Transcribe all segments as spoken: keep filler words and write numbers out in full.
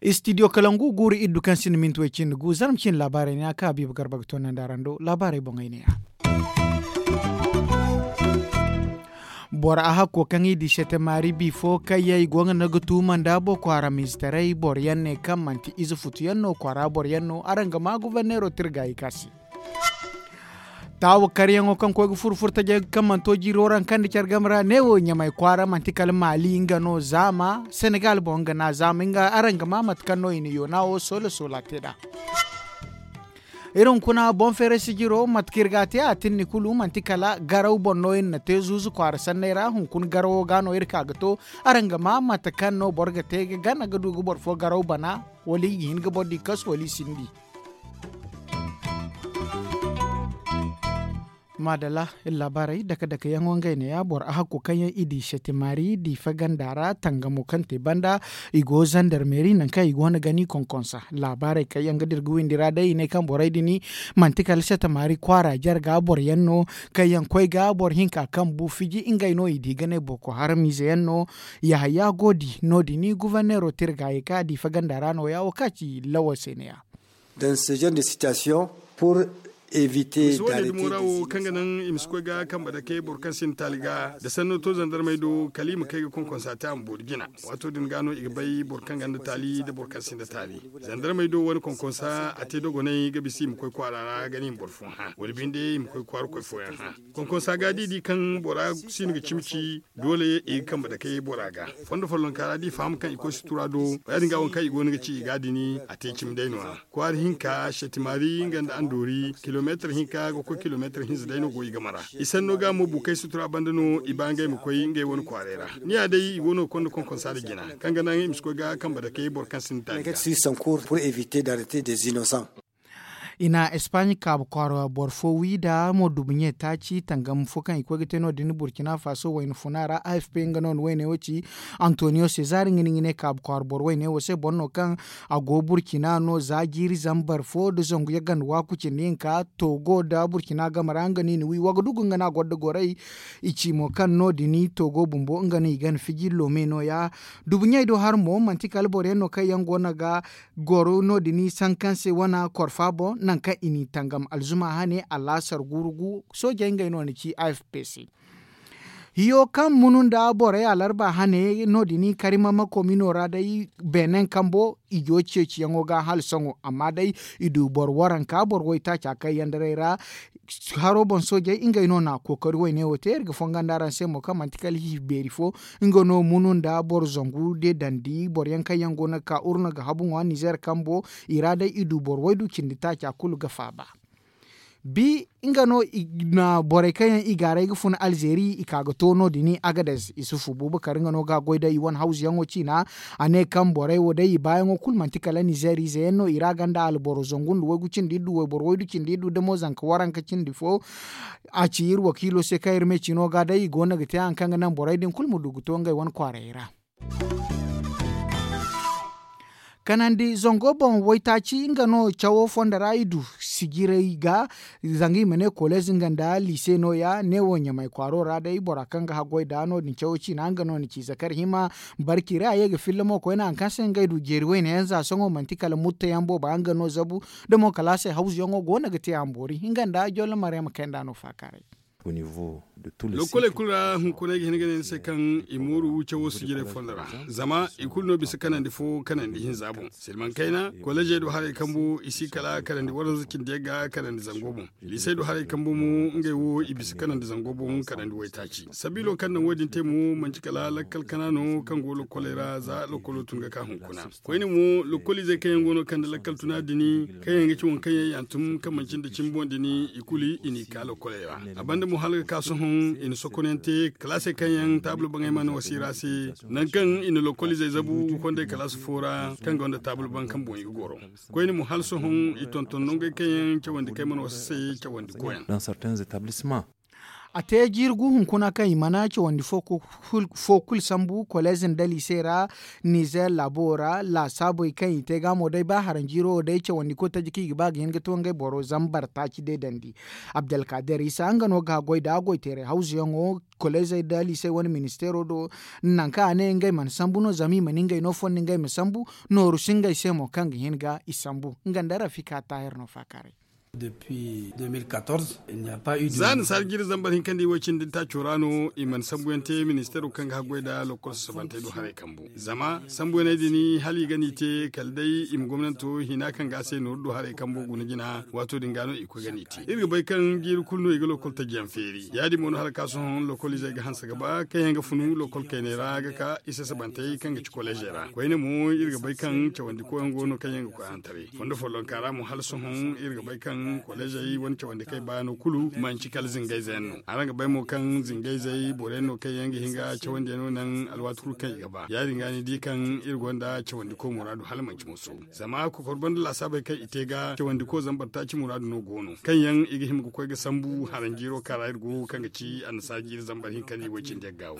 Istidiyo kalangu guuru iddu kaŋ sinda minti way cindi gu zarma cindi laabaarey ne a ka habiiba garba ga toonandi araŋ do laabaarey boŋey ne ya. Boro a hakko kaŋ i di sete maari bi fo kaŋ yaŋ i go ga no ga tuuma nda boko haram izetaray boro yaŋ ne kaŋ manti ize futu yaŋ no kwaara boro yaŋ no araŋ ga ma goborneero tirga i ka se. Taawa karyaŋo kaŋ koy ga furo furo tajey kaŋ mana to jiiro ra kaŋ da care game ra neewo ɲamay kwaara manti kala maali nga no zaama senegal boŋ nga na zaama nga araŋ ga ma mate kaŋ no i na yoona wo soola soola te nd'a. Iri hunkuna boŋ feeray sijiro mate kaŋ iri ga a te a tinni kulu manti kala garaw boŋ no iri na te zuuzu kwaara sanney ra hunkuna garawo ga no iri ka ga to araŋ ga ma mate kaŋ no boro ga te ga gana ga du ga boro fo garaw bana wala i ga hin ga boro di kasu wala i sinda i. Maadalla iri laabaarey dake dake yaŋo ngey ne ya boro a hakko kaŋ yaŋ i di sete maari diifa ganda ra tangamo kaŋ te banda i go zandarmeeri nangu kaŋ i go no ga ni konkonsa laabaarey kaŋ yaŋ ga dira ga windi ra day i ne kaŋ borey din manti kala sete maari kwaara jarga boro yaŋ no kaŋ yaŋ koy ga boro hinka kaŋ bu fiji ngey no i di ga ne boko haram ize yaŋ no. Yahaya go di no- din guverneero te iri ga ye kaŋ a diifa ganda ra no- ya wo kaŋ a ci lawo se ne- ya. Dans ce genre de situation pour éviter d'arrêter des innocents. Kaŋ ga naŋ i ma si koy ga kambe dake boro kaŋ sinda taali ga da sanno to zandarmey do kala i ma kay ga konkonsa te a ma boori jina. Waato din ga no i ga bay boro kaŋ gonda taali nda boro kaŋ sinda taali. Zandarmey do wane konkonsa a te dogonay ga bisa i ma koy kwaara ra ga ne i ma boro fo hã wala binde i ma koy kwaara koy fooyaŋ hã. Konkonsa ga da i di kaŋ bora si no ga cimi ci doole i ga kambe dake bora ga. Fondo follonka ra da i faham kaŋ i koy sutura do ya- din ga waŋ kaŋ i go no ga ci i ga din a te cimi day no- ya. Kwaara hinka setimaari nga nda andoori kilomeetar hinka ga koy kilomeetar hinza day no go i game ra. I sanno ga mo bukey sutura banda no i ba ngey ma koy ngey wane kwaaray ra. Ni ya day i go no ga konda konkonsa nda jina kaŋ ga naŋ i ma si koy ga kambe dake boro kaŋ sinda taali ga. I na espaaɲe kaabu kwaara boro fo wi nda mo dubuɲe taaci tangam fo kaŋ i koy ga te no- din burkina faso wayna funa ra afp nga no na wayney wo ci. Antonio sezar nga no i ga ne kaabu kwaara boro wayney wo se boro no kaŋ a go burkina no za jiiri zambar fo nda zangu yaganda waaku cindi hinka togo nda burkina game ra nga no i na wi wagadugu nga no a gonda goray. I ci mo kaŋ no- din togo bumbo nga no i gana fiji loome no- ya. Dubuɲey do hari mo manti kala boro yaŋ no kaŋ yaŋ go no ga goro no- din sankan se wana korfa boŋ nangu kaŋ i n'i tangam alzuma hane alaasar guuru gu soojey ngey no na ci afp se. Hiyo kaŋ munu nda borey alarba hane no- din karima makomino ra day beenen kambo i go ceeciyaŋo ga hala sohõ amma day i du boro waranka boro waytaaca kaŋ yaŋ daray ra. Haro boŋ soojey ngey no na kookari wayne wo te iri ga fonga nda araŋ se mo kaŋ manti kala hiihi beeri fo nga no munu nda boro zangu de dandi boro yaŋ kaŋ yaŋ go no ga ka urna ga habu ŋwa nizer kambo i ra day i du boro waydu cindi taaca kulu ga faaba. Bi nga no i na borey kaŋ yaŋ i gaaray ga fun alzeeri i ka ga to no- din agades isufu bubakar nga no ga goy da i wane hawzuyaŋo ciina. A ne kaŋ borey wo day i baayaŋo kulu manti kala nizer ize yaŋ no i ra ganda alboro zangu nda waygu cindi iddu wayboro waydu cindi iddu damo zanka waranka cindi fo. A ci iri wakiilo se kaŋ iri me ciino ga day i go no ga te hari kaŋ ga naŋ borey din kulu ma du ga to ngey wane kwaarayey ra. Kanandi zango boŋ waytaaci nga no cawo fondo ra i du sijirey ga. Zanga i ma ne koleez nga nda liise no- ya neewo ɲamay kwaaro ra day bora kaŋ ga haggoy da no- din cawo ciina nga no ni ci zakar hima. Barki ra a ye ga filla mo koyne hari kaŋ se ngey du jeeri wayne yaŋ za sohõ manti kala mutta yaŋ boobo yaŋ ga no zabu. Da mo kalaasey hawzuyaŋo go no ga te a ma boori nga nda jollo maryama kayanda no faakaaray. Lokkoley kulu ra hunkuna ay ga hin ga ne ni se kaŋ i mooru cawo sijirey fondo ra. Zama i kulu no bisa kanandi fo kanandi hinza boŋ silmaŋ kayna kolleezey do haray kambu i si kala kanandi waranza cindi yagga kanandi zango boŋ. Liisey do haray kambu mo ngey wo i bisa kanandi zango boŋ kanandi waytaaci sabiilo kaŋ naŋ wo- din te mo manci kala lakkal kana no kaŋ go lokkoley ra za lokkolo tun ga ka hunkuna. Koyne mo lokkoliizey kaŋ yaŋ go no kande lakkal tuna din kaŋ yaŋ ga ci waŋ kaŋ yaŋ yantum kaŋ manci nda cimi boŋ din i kulu i n'i ka lokkoley ra. A banda mo hala ga ka sohõ i na sokonante kalaasey kaŋ yaŋ taabul baŋey mana wasi ra se. Nangu kaŋ i na lokoliizey zabu ga kondey kalaasi fo ra kaŋ gonda taabul baŋ kaŋ boŋ i ga goro. Koyne mo hala sohõ i tonton nongey kaŋ yaŋ cawandi kaŋ ay mana wasi se cawandi koyaŋ. A te jiiri gu hunkuna kaŋ i mana cawandi fo kulu sambu koleez nda liise ra. Nizer laabo ra laasaabey kaŋ i te ga mo day ba haranjiiro wo day cawandi ko taji kaŋ i ga ba ga hin ga to ngey boro zambar taaci deedandi. Abdalkader isa nga no ga goy da goyteeray hawzuyaŋo koleezey nda liisey wane ministeero do. Nangu kaŋ a ne ngey mana sambu no zama i mana ngey no fondi ngey ma sambu. Nooru si ngey se mo kaŋ ga hin ga i sambu nga nda rafika taahir no faakaaray. Za ni saari jiiri zambar hinka nda i way cindi taaco ra no i mana sambuyaŋ te ministeero kaŋ ga haggoy nda lokol sasabantey do haray kambu. Zama sambuyaney din hala i ga no i te kala day i ma gomnanto hina kaŋ ga a se nooru do haray kambo guna jina waato din ga no i koy ga no i te iri ga bay kaŋ jiiri kulu no i ga lokol tajiyaŋ feeri ya- din mo no hala ka sohõ lokol izey ga hanse ga ba kaŋ yaŋ ga funu lokol kayney ra ga ka i sasabantey kaŋ ga ci koleezey ra koyne mo iri ga bay kaŋ cawandi koyaŋ go no kaŋ yaŋ ga koy hantaray fondo follonka ra mo hala sohõ iri ga bay kaŋ koleezey wane cawandi kay baano kulu manci kala zingayze yaŋ no araŋ ga bay mo kaŋ zingayzey boro yaŋ no kaŋ yaŋ ga hin ga cawandi yaŋ no naŋ alwaati kulu kaŋ i ga ba ya- din ga ni di kaŋ iri gonda cawandi koy muraadu hala manci moso. Zama kokor banda laasaabey kaŋ i te ga cawandi ko zambar taaci muraadu no go no kaŋ yaŋ i ga hima ga koy ga sambu haranjiiro kaŋ ra iri go kaŋ ga ci annasaara jiiri zambar hinka nda i way cindi yaŋ ga wo.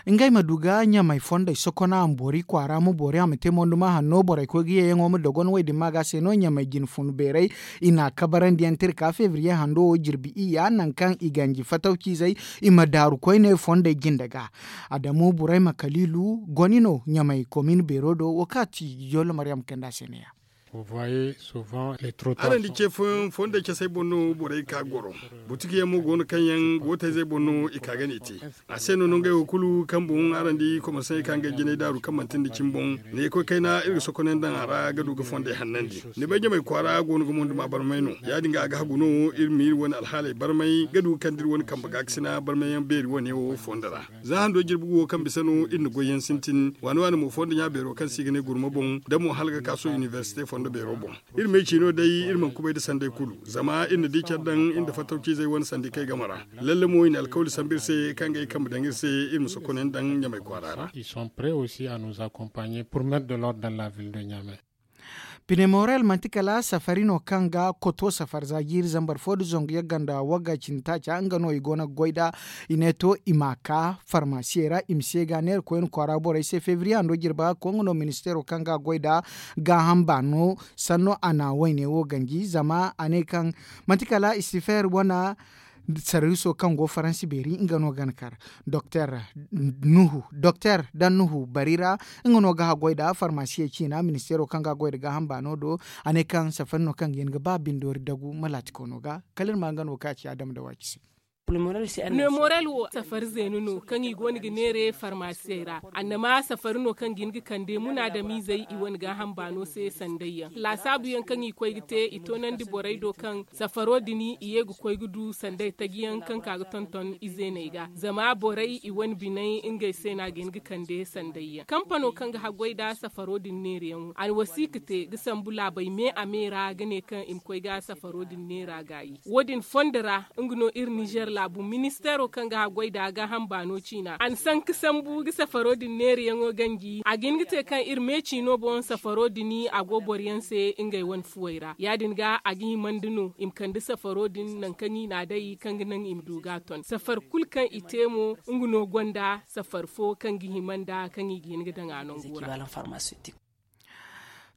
Ngey ma du ga ɲamay fondey sokona a ma boori kwaara ma boori a ma te monduma hanno borey koy ga yeeyaŋo ma dogon wey din ma ga se no ɲamay jine funu beeray. I n'a kabarandi yaŋ tirka febriye hando wo jirbi iyya nangu kaŋ i ganji fatawciizey i ma daaru koyne fondey jinde ga. Adamu burayma kaliilu goni no ɲamay komin beero do wo kaŋ a ti yollo maryam kanda se ne- ya. Araŋ di ce fooyaŋ fondey casey boŋ no borey ka goro. Butiki yaŋ mo go no kaŋ yaŋ gootayzey boŋ no i ka ga ne i te. A se no no ngey wo kulu kaŋ boŋ araŋ di komersaŋey ka ngey jinay daaru kaŋ manti nda cimi boŋ. Ne koy kayna iri ga sokoney daŋ a ra ga du ga fondey hannandi. Ni bay ɲamay kwaara go no ga monduma barmay no ya- din ga a ga hagu no iri ma iri wane alhaaley barmay ga du ga kande iri wane kambe gaakasina barmay yaŋ beeri wane wo fondo ra. Za hando jirbi gu wo kaŋ bisa no iri na goy yaŋ sintin waani waani mo fondo ɲa beero kaŋ se i ga ne gurma boŋ da mo hala ga ka sohõ inibersite fondo beero boŋ. Iri ma ay ciino day iri mana kubay nda sanday kulu zama iri na di care daŋ iri nda fattaw ciizey wane sandi kay game ra. Lalle mo i na alkawli sambu iri se kaŋ ga ay kambe daŋ iri se iri ma sokoney daŋ ɲamay kwaara ra. Ils sont prêts aussi à nous accompagner pour mettre de l'ordre dans la ville de ɲamay. Pinemorel manti kala safari no kaŋ ga koto safari za jiiri zambar fo nda zangu yagga nda wagga cindi taaca nga no i go no ga goy nd'a. I ne to i ma ka farmasiyey ra i ma se ga neera koyne kwaara borey se febriye hando jirba ga koy nga no ministeero kaŋ ga goy nd'a. Gaaham baano sanno a na wayne wo ganji zama a ne kaŋ manti kala istifeer wane sarwiso kaŋ go faransi beeri nga no ga ni kar. Doktor dan nuhu bari ra nga no ga haggoy nda farmasiyey ciina ministeero kaŋ ga goy nda gaaham baano do. A ne kaŋ safari no kaŋ ga hin ga ba bindoori dagu malaatiko no ga kala iri ma nga no ga ka ci adama da waaci se. Nemorel wo safari zeena no kaŋ i go no ga neera farmasiyey ra. Annama safari no kaŋ ga hin ga kande munaadamiizey i wane gaaham baano se sandayyaŋ laasaabuyaŋ kaŋ i koy ga te i toonandi borey do kaŋ safaro din i ye ga koy ga du sanday tajiyaŋ kaŋ ka ga tonton izeeney ga zama borey i wane biney ngey se no a ga hin ga kande sandayyaŋ kampano kaŋ ga haggoy nda safaro din neerayaŋo a na wasiika te ga sambu laabey me a me ra ga ne kaŋ i ma koy ga safaro din neera gaayi. Wo- din fondo ra nga no iri nizer laabu ministeero kaŋ ga haggoy nda gaaham baano ciina a na sanka sambu ga safaro din neerayaŋo ganji a ga hin ga te kaŋ iri me ciino boŋ safaro din a go boro yaŋ se ngey wane fuwey ra ya- din ga a ga himandi no i ma kande safaro din nangu kaŋ i n'a day kaŋ ga naŋ i ma du ga a ton safari kulu kaŋ i te mo nga no gonda safari fo kaŋ ga hima nda kaŋ i ga hin ga daŋ a nango ra.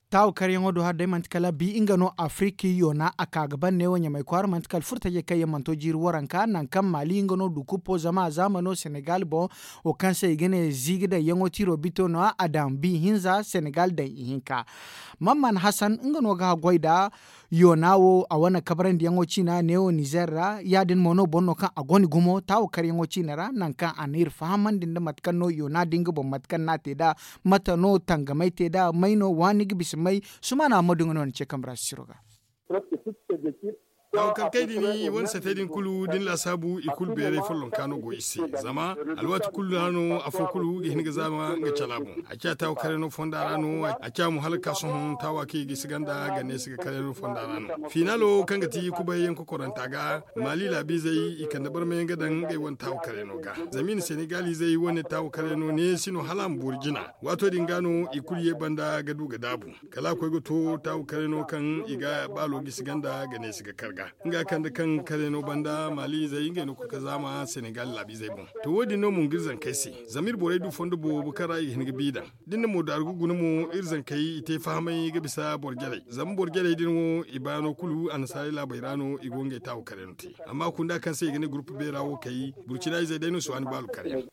Taawu karyaŋo do hari day manti kala bi nga no afiriki yoona a ka ga ban neewo ɲamay kwaara manti kala furtajey kaŋ yaŋ mana to jiiri waranka nangu kaŋ maali nga no du kuppo zama a zaamano senegal boŋ wo kaŋ se i ga ne ziiga daŋ yaŋo tiiro bito no a daŋ bi hinza senegal daŋ ihinka. Mamman hasan nga no ga haggoy nda yoona wo a wane kabarandiyaŋo ciina neewo nizer ra ya- din mo no boro no kaŋ a gone gumo taawo karyaŋo ciina ra nangu kaŋ a na iri fahamandi nda mate kaŋ no yoona din ga boŋ mate kaŋ no a te nd'a mate no tangamay te nd'a may no waani ga bisa may. Sumaana ammadu nga no na ce kambe ra sisiro ga. Taawu karkey din i wane setey din kulu da ni laasaabu i kulu beeray follonka no go i se. Zama alwaati kulu ra no afo kulu ga hin ga zaama nga cala boŋ. A ciya taawu karey no fonda ra no a ciya mo hala ga ka sohõ taawa kaŋ i ga i si ganda ga ne si ga karey no fonda ra no. Fiinaalo kaŋ ga ti kubay yaŋ kokoranta ga maali laabiizey i kande barmayaŋ ga daŋ ngey wane taawu karey no ga. Zama i na senegaalizey wane taawu karey no ne si no hala a ma boori jina. Waato din ga no i kulu ye banda ga du ga daabu kala a koy ga to taawu karey no kaŋ i ga baalo gisi ganda ga ne si ga kar ga nga kande kaŋ karey no banda maali izey ngey no ga koy ga zaama senegal laabiizey boŋ. To wo- din no mo nga iri zankey se zama iri borey du fondo boobo kaŋ ra i ga hin ga bi daŋ da ni na mo daaru ga guna mo iri zankey i te fahamay ga bisa boro jarey zama boro jarey din wo i baano kulu annasaarey laabey ra no i go ngey taawu karey no te. Amma kunda kaŋ se i ga ne gurupu beera wo kay burcina izey day no si waani baalu karey.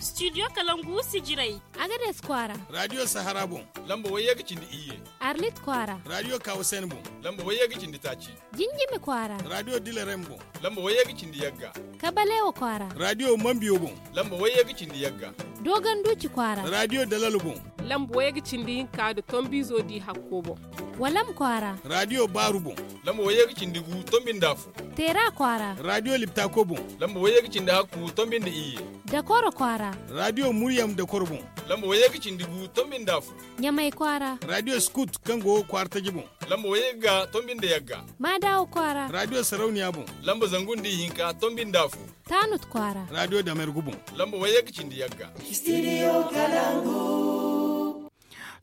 Studio kalangu sijirey. Agades kwaara. Radio sahara boŋ. Lamba wayye ga cindi iyye. Arlit kwaara. Radio kawasen boŋ. Lamba wayye ga cindi taaci. Jinjimi kwaara. Radio dilarem boŋ. Lamba wayye ga cindi yagga. Kabalewa kwaara. Radio mambiyo boŋ. Lamba wayye ga cindi yagga. Dogon duci kwaara. Radio dalal boŋ. Lamba wayye ga cindi hinka da tombizo di hakko boŋ. Walam kwaara. Radio baaru boŋ. Lamba wayye ga cindi gu tombi nda afo. Teera kwaara. Radio liptako boŋ. Lamba wayye ga cindi hakku tombi nda iyye. Dakoro kwaara. Radio muryam dakoro boŋ. Lamba wayye ga cindi gu tombi nda afo. Ɲamay kwaara. Radio skut kaŋ go kwaara taji boŋ. Lamba wayye ga tombi nda yagga. Maadawa kwaara. Radio sarauniya boŋ. Lamba zangu nda ihinka tombi nda afo. Taanut kwaara. Radio damergu boŋ. Lamba wayye ga cindi yagga. Studio kalangu.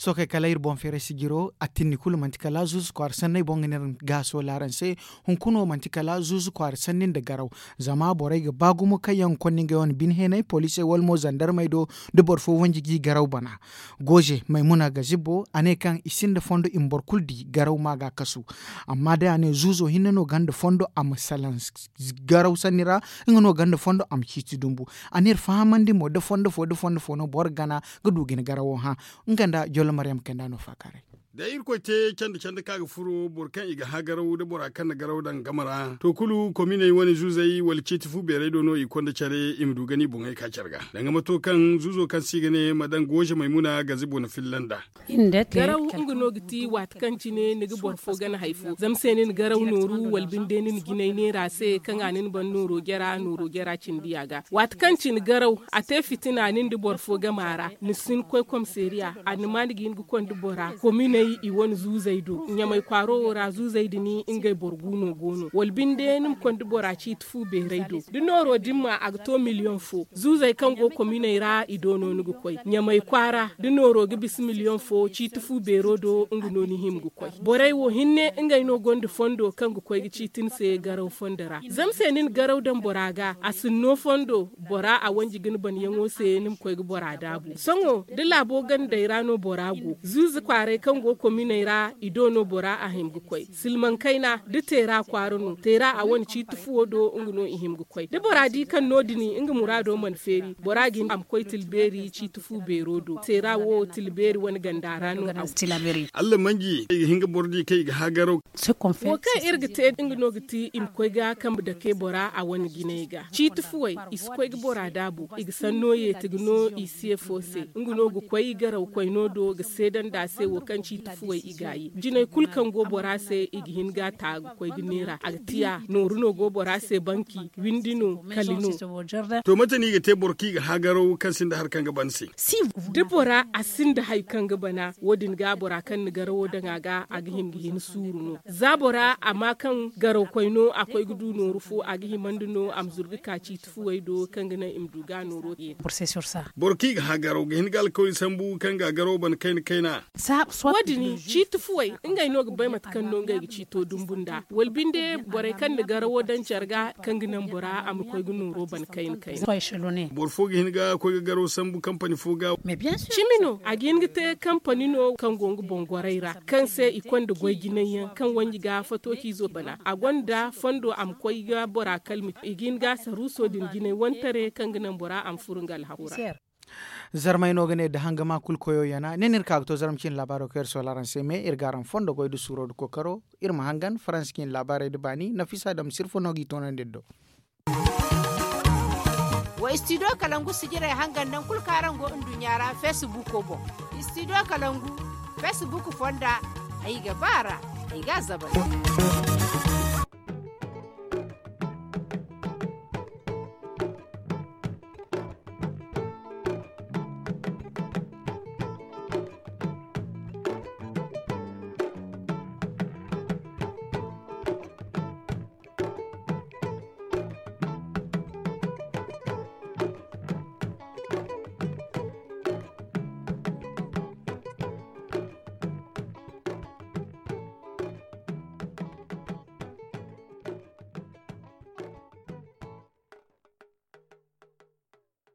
Sookey kala iri boŋ feeray sijiro a tinni kulu manti kala zuuzu kwaara sanney boŋ ga ne araŋ gaaso laaraŋ se. Hunkuna wo manti kala zuuzu kwaara sanni nda garaw. Zama borey ga ba gumo kaŋ yaŋ ga konda ngey wane bine heenay poliisey wala mo zandarmey do da boro fo wanji g'i garaw bana. Gooze maymuna ga zibbo a ne kaŋ i sinda fondo i ma boro kulu di garaw ma ga kasu. Amma day a ne zuuzo hinne no gonda fondo a ma salaŋ garaw sanni ra. Nga no gonda fondo a ma ciiti dumbu. A ne iri fahamandi mo da fondo fo da fondo fo no boro gana ga du ga ni garawo hã. Nga nda jollo maryam kayna no faakaaray. Da irkoy te canda canda kaŋ a ga furo boro kaŋ i ga hã garaw da bora kaŋ na garaw daŋ game ra to kulu kominey wane zuuzey wala ciiti fu beerey do no i konda care i ma du gana i boŋey ka care ga danga ma to kaŋ zuuzo kaŋ se i ga ne ma daŋ gooze maymuna gazibo na filla nd'a. Garaw nga no ga ti waati kaŋ cine ni ga boro fo gana hari fo zama se ni na garaw nooru wala binde ni na jinay neera se kaŋ a na ni ban nooro jara nooro jara cindi a ga waati kaŋ cine garaw a te fitina ni nda boro fo gama ra ni si ni koy komiseeriya a na ma ni ga hin ga konda bora kominey i wane zuuzey do ɲamay kwaaro wo ra zuuzey din ngey boro gu no go no wala binde ni ma konda bora ciiti fu beerey do da nooro din ma a ga to miliyoŋ fo zuuzey kaŋ go kominey ra i do no ni ga koy ɲamay kwaara da nooro ga bisa miliyoŋ fo ciiti fu beero do nga no ni hima ga koy borey wo hinne ngey no gonda fondo kaŋ ga koy ga ciiti ni se garaw fondo ra zama se ni na garaw daŋ bora ga a sinno fondo bora a wanji ga ni banyaŋo se ni ma koy ga bora daabu sohõ da laabo gandey ra no bora go zuuzu kwaaray kaŋ go kominey ra i do no bora a hima ga koy silmaŋ kayna da teera kwaara no teera a wane ciiti fuwo do nga no i hima ga koy da bora di kaŋ no- din nga muraado mana feeri bora ga hin a ma koy tilbeeri ciiti fu beero do teera wo tilbeeri wane ganda ra no a go. Allah manji i ga hin ga boro di kaŋ i ga hagaraw. Wo kaŋ iri ga te nga no ga ti i ma koy ga kambe dake bora a wane jinay ga ciiti fuwey i si koy ga bora daabu i ga sanno yeeti ga no i se fo se nga no ga koy garaw koyno do ga seedandi a se wo kaŋ ciiti fuwey i gaayi jinay kulu kaŋ go bora se i ga hin ga a ta ga koy ga neera a ga tiya nooru no go bora se banki windi no kali no. To mate no i ga te boro kaŋ i ga hagaraw kaŋ sinda hari kaŋ ga ban se? Da bora a sinda hari kaŋ ga bana wo- din ga bora kaŋ na garawo daŋ a ga a ga hima ga hin suuru no za bora a ma kaŋ garaw koyno a koy ga du nooru fo a ga himandi no a ma zuru ga ka ciiti fuwey do kaŋ ga naŋ i ma du ga nooro yeeti. Boro kaŋ i ga hagaraw ga hin ga alkawli sambu kaŋ ga garaw bana kayna kayna. Wo- din ciiti fuwey ngey no ga bay mate kaŋ no ngey ga ciito dumbu nda wala binde borey kaŋ na garawo daŋ care ga kaŋ ga naŋ bora a ma koy ga nooro bana kayna kayna. Boro fo ga hin ga koy ga garaw sambu kampani fo ga. Cimi no a ga hin ga te kampani no kaŋ go nga boŋ goray ra kaŋ se i konda goy jinay yaŋ kaŋ wanji ga fato ciizo bana a gonda fondo a ma koy ga bora kalmi i ga hin ga saruuso din jinay wane tare kaŋ ga naŋ bora a ma furo nga alhaku ra. Zarmey no ga ne da hangama kulu koyo yana ne no iri ka ga to zarma ciine laabaaro kaŋ iri soola araŋ se me iri ga araŋ fondo goy da suuro da kookaro. Iri ma hangan faransa ciine laabaarey da baani nafisa dam sirfo no g'i toonandi iri do. Wa istidiyo kalangu sijirey hangan naŋ kulu kaŋ araŋ go nduɲɲa ra feesibuuko boŋ. Istidiyo kalangu feesibuuko fonda. Ay ga ba ra, ay ga a zabari.